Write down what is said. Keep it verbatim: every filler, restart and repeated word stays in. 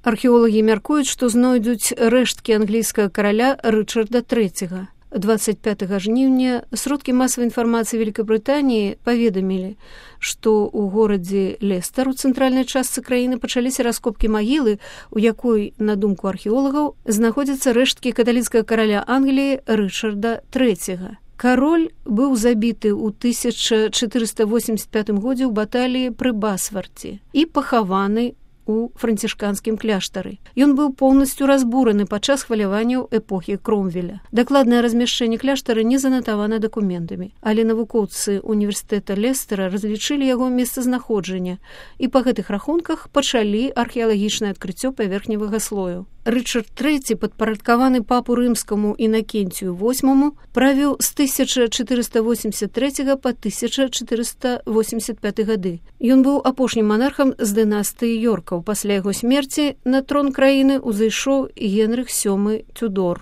Археолагі мяркуюць, што знойдуць рэшткі англійскага караля Рычарда трэцяга. двадцать пятага жніўня сродкі масавай інфармацыі Великабрытаніі паведамілі, што ў горадзе Лестар у цэнтральнай частцы краіны пачаліся раскопкі магілы, у якой, на думку археолагаў, знаходзяцца рэшткі каталіцкага караля Англіі Рычарда трэцяга. Кароль быў забіты ў тысяча чатырыста восемьдесят пятым годзе ў баталіі пры Басварце і пахаваны у францішканскім кляштары. Ён быў поўнасцю разбураны падчас хваляванняў эпохі Кромвеля. Дакладнае размяшчэнне кляштара не занатавана дакументамі, але навукоўцы універсітэта Лестера разлічылі яго месцазнаходжанне і па гэтых рахунках пачалі археалагічнае адкрыццё паверхневага слою. Рычард трэці, падпарадкаваны папу рымскаму Інакенцію восьмаму, правіў з тысяча чатырыста восемьдесят трэцяга па тысяча чатырыста восемьдесят пяты гады. Ён быў апошнім манархам з дынастыі Йоркаў. Пасля яго смерці на трон краіны ўзышоў Генрых сёмы Тюдор.